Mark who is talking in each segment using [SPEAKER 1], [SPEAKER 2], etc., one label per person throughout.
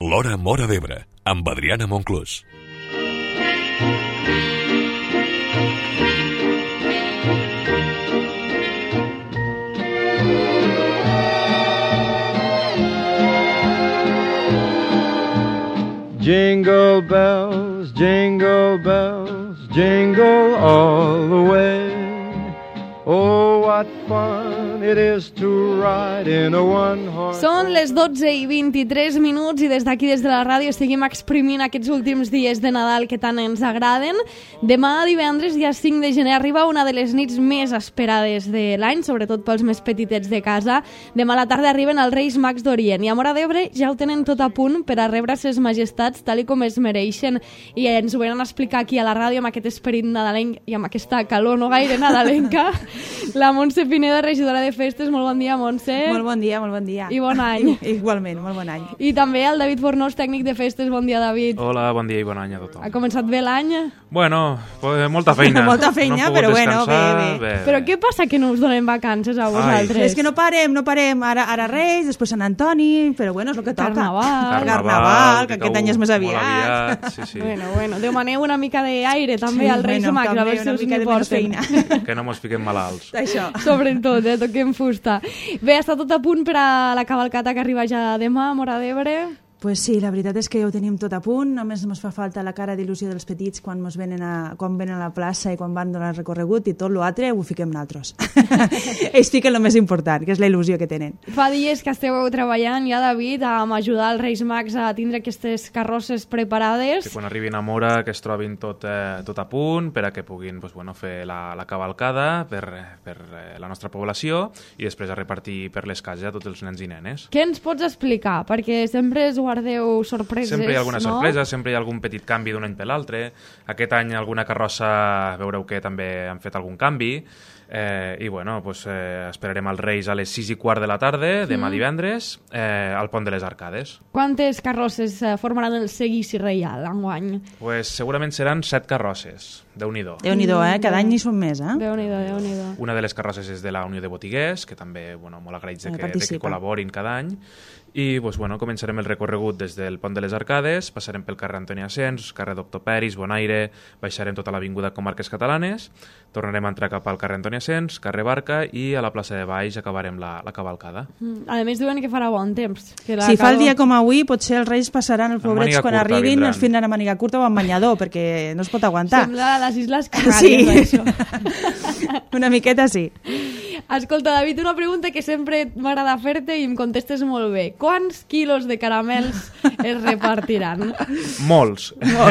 [SPEAKER 1] L'Hora Móra d'Ebre, amb Adriana Monclús.
[SPEAKER 2] Jingle bells, jingle all the way. Oh, what fun it is to ride in a one-horse...
[SPEAKER 3] Són les 12:23 i des d'aquí, des de la ràdio, seguim exprimint aquests últims dies de Nadal que tant ens agraden. Demà, divendres, dia 5 de gener, arriba una de les nits més esperades de l'any, sobretot pels més petitets de casa. Demà a la tarda arriben els Reis Mags d'Orient i a Móra d'Ebre ja ho tenen tot a punt per a rebre ses majestats tal i com es mereixen. I ens ho venen a explicar aquí a la ràdio amb aquest esperit nadalenc i amb aquesta calor no gaire nadalenca. La Montse Pineda, regidora de festes. Molt bon dia, Montse.
[SPEAKER 4] Molt bon dia, molt bon dia.
[SPEAKER 3] I bon any.
[SPEAKER 4] Igualment, molt bon any.
[SPEAKER 3] I també el David Fornós, tècnic de festes. Bon dia, David.
[SPEAKER 5] Hola, bon dia i bon any a tothom.
[SPEAKER 3] Ha començat bé l'any?
[SPEAKER 5] Bueno, molta feina.
[SPEAKER 4] Molta feina,
[SPEAKER 5] no
[SPEAKER 4] però bueno, bé.
[SPEAKER 3] Però què passa que no us donem vacances a vosaltres?
[SPEAKER 4] És que no parem. Ara Reis, després Sant Antoni, però bueno, és el que toca.
[SPEAKER 3] Carnaval,
[SPEAKER 4] que aquest any és més aviat.
[SPEAKER 5] Sí.
[SPEAKER 3] Bueno, demaneu una mica d'aire també als Reis Mags, a veure si us n'hi porten.
[SPEAKER 5] Que no mos fiquem malalts.
[SPEAKER 4] Això.
[SPEAKER 3] Sobretot, toquem fusta. Bé, està tot a punt per a la cavalcata que arriba ja demà a Móra d'Ebre?
[SPEAKER 4] Pues sí, la veritat és que ja ho tenim tot a punt, només ens fa falta la cara d'il·lusió dels petits quan venen a la plaça i quan van donar el recorregut i tot l'altre ho fiquem nosaltres. Ells fiquen el més important, que és la il·lusió que tenen.
[SPEAKER 3] Fa dies que esteu treballant ja, David, amb ajudar els Reis Mags a tindre aquestes carrosses preparades.
[SPEAKER 5] Que quan arribin a Móra que es trobin tot a punt per a que puguin fer la cavalcada per la nostra població i després a repartir per les cases a tots els nens i nenes.
[SPEAKER 3] Què ens pots explicar? Perquè sempre es guardeu sorpreses,
[SPEAKER 5] sempre hi ha alguna sorpresa,
[SPEAKER 3] no?
[SPEAKER 5] Sempre hi ha algun petit canvi d'un any per l'altre. Aquest any alguna carrossa veureu que també han fet algun canvi. I bueno, esperarem els Reis a les 6:15 de la tarda, demà divendres, al Pont de les Arcades.
[SPEAKER 3] Quantes carrosses formaran el seguici reial enguany?
[SPEAKER 5] Segurament seran 7 carrosses. Déu-n'hi-do.
[SPEAKER 4] Déu-n'hi-do, cada any n'hi són més,
[SPEAKER 3] Déu-n'hi-do.
[SPEAKER 5] Una de les carrosses és de la Unió de Botiguers, que també molt agraïts de que col·laborin cada any. I començarem el recorregut des del Pont de les Arcades, passarem pel carrer Antoni Asens, carrer Doctor Peris, Bonaire, baixarem tota l'avinguda Comarques Catalanes, tornarem a entrar cap al carrer Antoni Asens, carrer Barca i a la plaça de Baix acabarem la cavalcada.
[SPEAKER 3] A més diuen que farà bon temps.
[SPEAKER 4] Si fa el dia com avui, potser els Reis passaran els pobrets quan arribin, els vindran a màniga curta o amb banyador, perquè no es pot aguantar.
[SPEAKER 3] Sembla a les Isles Canàries, això.
[SPEAKER 4] Una miqueta sí.
[SPEAKER 3] Escolta, David, una pregunta que sempre m'agrada fer-te i em contestes molt bé. Quants quilos de caramels es repartiran?
[SPEAKER 5] Molts.
[SPEAKER 4] No,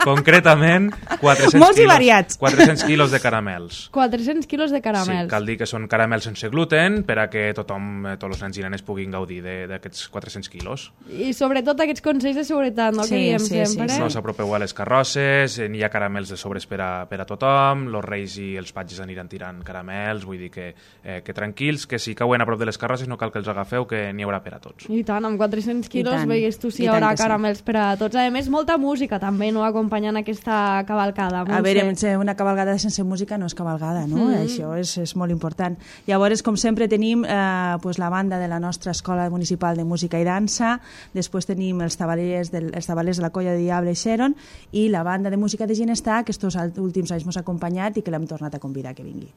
[SPEAKER 5] concretament, 400
[SPEAKER 4] molts
[SPEAKER 5] quilos,
[SPEAKER 4] i variats.
[SPEAKER 5] 400 quilos de caramels.
[SPEAKER 3] 400 quilos de caramels.
[SPEAKER 5] Sí, cal dir que són caramels sense gluten per a que tothom, tots els nens i nenes puguin gaudir d'aquests 400 quilos.
[SPEAKER 3] I sobretot aquests consells de seguretat, no?
[SPEAKER 4] Sí,
[SPEAKER 3] que diem
[SPEAKER 4] sí,
[SPEAKER 3] sempre.
[SPEAKER 4] sí.
[SPEAKER 5] No s'apropeu a les carrosses, n'hi ha caramels de sobres per a tothom, els Reis i els patges aniran tirant caramels, vull dir que tranquils, que si cauen a prop de les carrosses no cal que els agafeu, que n'hi haurà per a tots.
[SPEAKER 3] I tant, amb 400 quilos
[SPEAKER 4] tant,
[SPEAKER 3] veies tu si hi
[SPEAKER 4] i tant
[SPEAKER 3] haurà
[SPEAKER 4] que sí.
[SPEAKER 3] caramels per a tots. A més, molta música també, no?, acompanyant aquesta cavalcada.
[SPEAKER 4] A veure, una cavalgada sense música no és cavalgada, no? Això és molt important. Llavors, com sempre, tenim la banda de la nostra Escola Municipal de Música i Dansa, després tenim els tabalers de la Colla de Diable Xeron i la banda de música de Ginestar, que estos últims anys ens ha acompanyat i que l'hem tornat a convidar que vingui.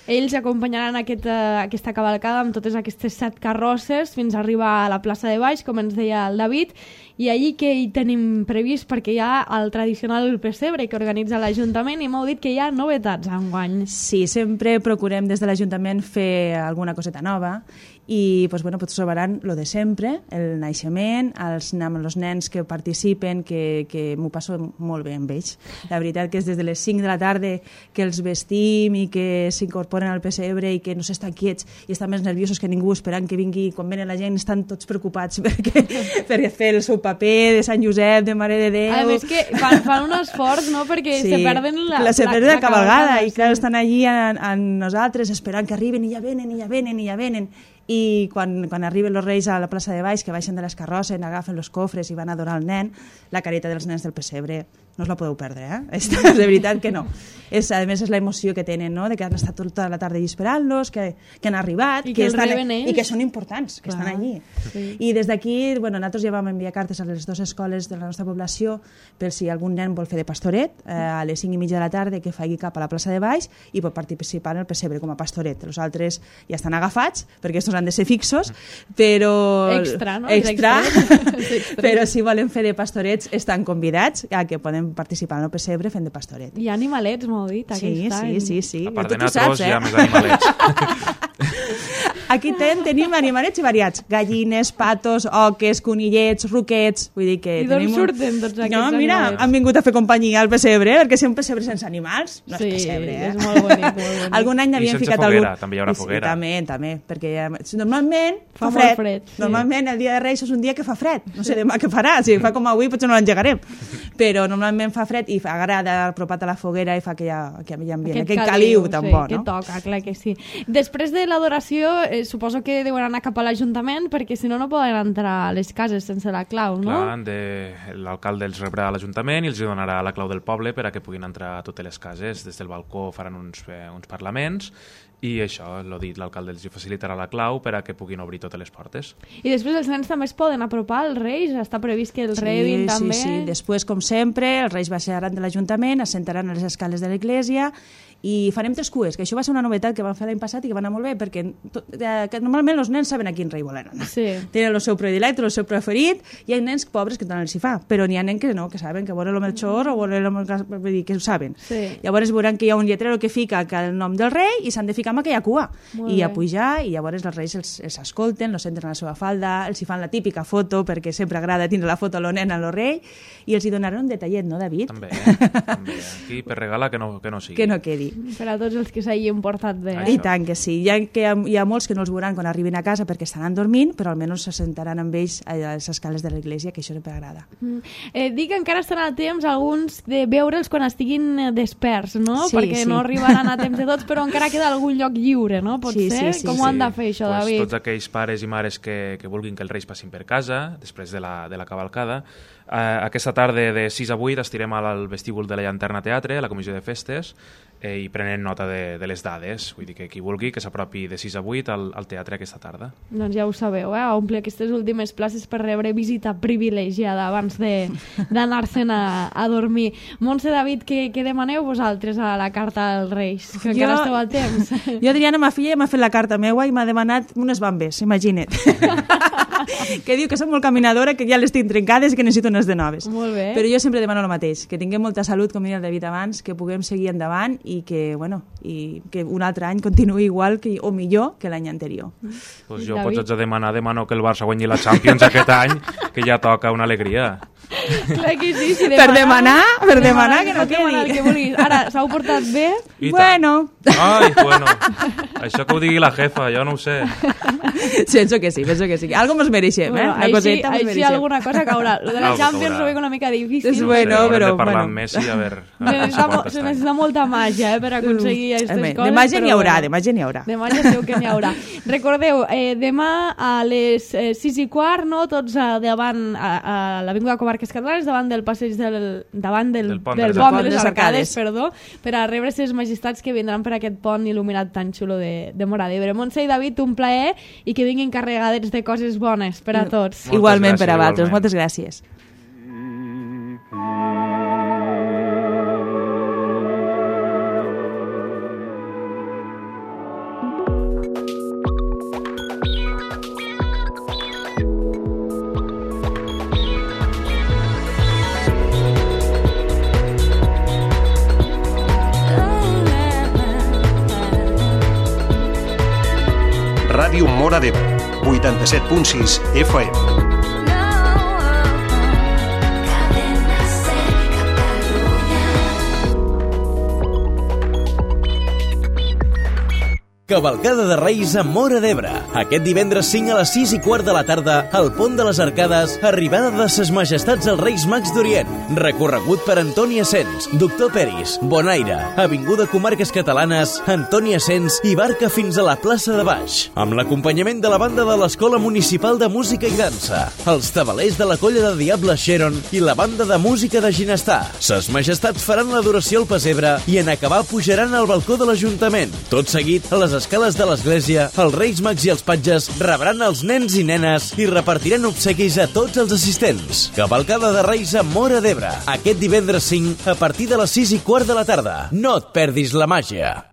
[SPEAKER 3] Ells acompanyaran aquesta cavalcada amb totes aquestes 7 carrosses fins a arribar a la plaça de Baix, com ens deia el David, i allí que hi tenim previst, perquè hi ha el tradicional pessebre que organitza l'Ajuntament i m'heu dit que hi ha novetats enguany.
[SPEAKER 4] Sí, sempre procurem des de l'Ajuntament fer alguna coseta nova i trobaran lo de sempre, el naixement, amb els nens que participen, que m'ho passo molt bé amb ells. La veritat que és des de les 5 de la tarda que els vestim i que s'incorporen al pessebre i que no s'estan quiets i estan més nerviosos que ningú esperant que vingui. Quan venen la gent estan tots preocupats per fer el seu paper de Sant Josep, de Mare de Déu.
[SPEAKER 3] A més que fan un esforç, no?, perquè se perden la
[SPEAKER 4] cavalgada i clar, estan allí a nosaltres esperant que arriben i ja venen. I quan arriben els Reis a la plaça de Baix, que baixen de les carrosses, agafen els cofres i van a donar al nen, la careta dels nens del pessebre no us la podeu perdre, de veritat que no. A més, és l'emoció que tenen, no?, de que han estat tota la tarda allà esperant-los, que han arribat,
[SPEAKER 3] i que
[SPEAKER 4] són importants, que estan allí. Sí. I des d'aquí, nosaltres ja vam enviar cartes a les 2 escoles de la nostra població per si algun nen vol fer de pastoret a les 5:30 de la tarda, que faci cap a la plaça de Baix i pot participar en el pessebre com a pastoret. Els altres ja estan agafats, perquè estos han de ser fixos, però...
[SPEAKER 3] Extra, no?
[SPEAKER 4] Extra. Però si volen fer de pastorets estan convidats a que poden participar en el pessebre fent de pastoret.
[SPEAKER 3] Hi ha animalets, m'ho dit, aquest any.
[SPEAKER 4] Sí.
[SPEAKER 5] A part de natros, hi ha més animalets.
[SPEAKER 4] Aquí tenim animalets i variats. Gallines, patos, oques, conillets, ruquets... Vull dir que
[SPEAKER 3] i d'on surten tots aquests animalets?
[SPEAKER 4] Mira, han vingut a fer companyia al pessebre, perquè si un pessebre sense animals no és pessebre,
[SPEAKER 3] és molt bonic, molt bonic.
[SPEAKER 4] Algun any n'havien ficat
[SPEAKER 5] foguera, també hi haurà foguera.
[SPEAKER 4] També, perquè normalment fa fred. Normalment el dia de Reis és un dia que fa fred. No sé demà què farà, si fa com avui potser no l'engegarem. Però normalment fa fred i agrada apropat a la foguera i fa que hi ha ambient, aquest caliu tan bo, no?
[SPEAKER 3] Que toca, clar que sí. Després de l'adoració, suposo que deuen anar cap a l'Ajuntament, perquè si no, no poden entrar a les cases sense la clau, no?
[SPEAKER 5] Clar, l'alcalde els rebrà a l'Ajuntament i els donarà la clau del poble per a que puguin entrar a totes les cases. Des del balcó faran uns parlaments i això, l'ho dit, l'alcalde els facilitarà la clau per a que puguin obrir totes les portes.
[SPEAKER 3] I després els nens també es poden apropar als Reis? Està previst que els rebin també?
[SPEAKER 4] Sí. Després, com sempre, els Reis baixaran de l'Ajuntament, es sentaran a les escales de l'església i farem 3 cues, que això va ser una novetat que van fer l'any passat i que va anar molt bé, perquè normalment els nens saben a quin rei volen anar.
[SPEAKER 3] Sí.
[SPEAKER 4] Tenen el seu predilecte, el seu preferit, i hi ha nens pobres que tant els hi fa, però n'hi ha nens que no, que saben que volen el Melchor o volen el... que ho saben.
[SPEAKER 3] Sí.
[SPEAKER 4] Llavors veuran que hi ha un lletrero que fica el nom del rei i s'han de ficar amb aquella cua. I a pujar, i llavors els reis els escolten, els senten a la seva falda, els hi fan la típica foto, perquè sempre agrada tindre la foto a lo nen, a lo rei, i els hi donaran un detallet, no, David?
[SPEAKER 5] També. Aquí per regalar que no sigui.
[SPEAKER 4] Que no quedi.
[SPEAKER 3] Per a tots els que s'hagin portat bé.
[SPEAKER 4] I tant que sí. Hi ha molts que no els veuran quan arribin a casa perquè estaran dormint, però almenys se sentaran amb ells a les escales de l'església, que això sempre agrada.
[SPEAKER 3] Dic que encara estan a temps alguns de veure'ls quan estiguin desperts, no?
[SPEAKER 4] Sí,
[SPEAKER 3] perquè no arribaran a temps de tots, però encara queda algun lloc lliure, no? Pot ser? Com ho han de fer, això, David?
[SPEAKER 5] Tots aquells pares i mares que vulguin que els Reis passin per casa, després de la cavalcada, aquesta tarda de 6 a 8 estirem al vestíbul de la Llanterna Teatre, a la comissió de festes, i prenen nota de les dades. Vull dir que qui vulgui que s'apropi de 6 a 8 al teatre aquesta tarda.
[SPEAKER 3] Doncs ja ho sabeu, omplir aquestes últimes places per rebre visita privilegiada abans d'anar-se'n a dormir. Montse, David, què demaneu vosaltres a la carta als Reis? Que encara esteu a temps.
[SPEAKER 4] Jo, Adriana, ma filla, m'ha fet la carta meua i m'ha demanat unes bambes, imagina't. Que diu que soc molt caminadora, que ja les tinc trencades i que necessito unes de noves.
[SPEAKER 3] Molt bé.
[SPEAKER 4] Però jo sempre demano el mateix, que tinguem molta salut, com deia el David abans, que puguem seguir endavant i que un altre any continuï igual o millor que l'any anterior.
[SPEAKER 5] Pues jo pots demano que el Barça guanyi la Champions aquest any, que ja toca una alegria.
[SPEAKER 3] Clar que sí,
[SPEAKER 4] per demanar que no quedi.
[SPEAKER 3] Que vulguis. Ara, s'heu portat bé?
[SPEAKER 4] Bueno.
[SPEAKER 5] Ai, bueno. Això que ho digui la jefa, jo no ho sé.
[SPEAKER 4] Penso que sí. Algo mos mereixem,
[SPEAKER 3] bueno,
[SPEAKER 4] una coseta mos mereixem.
[SPEAKER 3] Així alguna cosa caurà. Lo de la Champions ho veig una mica difícil.
[SPEAKER 4] És bueno, però...
[SPEAKER 5] Hem de parlar amb Messi, a veure...
[SPEAKER 3] Se necessita molta màgia per aconseguir aquestes coses.
[SPEAKER 4] De màgia n'hi haurà. De
[SPEAKER 3] màgia segur que n'hi haurà. Recordeu, demà a les 6:15, no? Tots davant a l'Avinguda Comarques Catalanes, davant del passeig del pont de les Arcades, per a rebre les majestats que vindran per aquest pont il·luminat tan xulo de Móra d'Ebre. Montse i David, un plaer i que vinguin carregadets de coses bones per a tots.
[SPEAKER 4] Igualment per a vosaltres. Moltes gràcies.
[SPEAKER 6] Ràdio Móra d'Ebre, 87.6 FM.
[SPEAKER 7] Cavalcada de Reis a Móra d'Ebre. Aquest divendres 5 a les 6:15 de la tarda, al Pont de les Arcades, arribada de ses majestats els Reis Mags d'Orient. Recorregut per Antoni Asens, Doctor Peris, Bonaire, Avinguda Comarques Catalanes, Antoni Asens i barca fins a la plaça de Baix. Amb l'acompanyament de la banda de l'Escola Municipal de Música i Dansa, els tabalers de la Colla de Diable Sharon i la banda de música de Ginestar. Ses majestats faran l'adoració al pessebre i en acabar pujaran al balcó de l'Ajuntament. Tot seguit, a les escales de l'església, els Reis Mags i els patges rebran els nens i nenes i repartiran obsequis a tots els assistents. Cavalcada de Reis a Móra d'Ebre. Aquest divendres 5 a partir de les 6:15 de la tarda. No et perdis la màgia.